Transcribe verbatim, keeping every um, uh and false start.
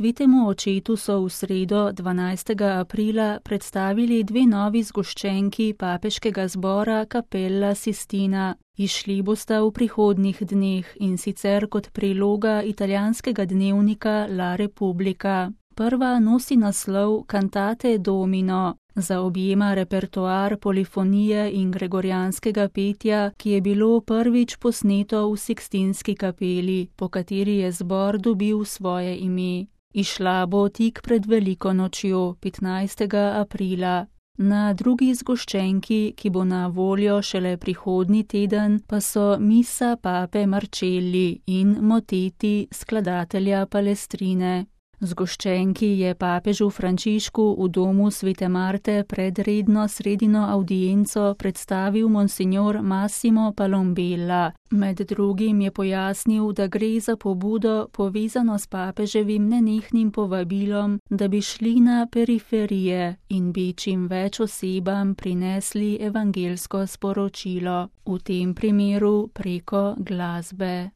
Svetemu očetu so v sredo dvanajstega aprila predstavili dve novi zgoščenki papeškega zbora Cappella Sistina. Izšli bosta v prihodnjih dneh, in sicer kot priloga italijanskega dnevnika La Repubblica. Prva nosi naslov Cantate Domino. Zaobjema repertoar polifonije in gregorijanskega petja, ki je bilo prvič posneto v Sikstinski kapeli, po kateri je zbor dobil svoje ime. Izšla bo tik pred veliko nočjo, petnajstega aprila. Na drugi zgoščenki, ki bo na voljo šele prihodnji teden, pa so misa pape Marcelli in moteti skladatelja Palestrine. Zgoščenki je papežu Frančišku v domu Svete Marte pred redno sredino avdienco predstavil monsignor Massimo Palombella. Med drugim je pojasnil, da gre za pobudo povezano s papeževim nenehnim povabilom, da bi šli na periferije in bi čim več osebam prinesli evangelsko sporočilo, v tem primeru preko glasbe.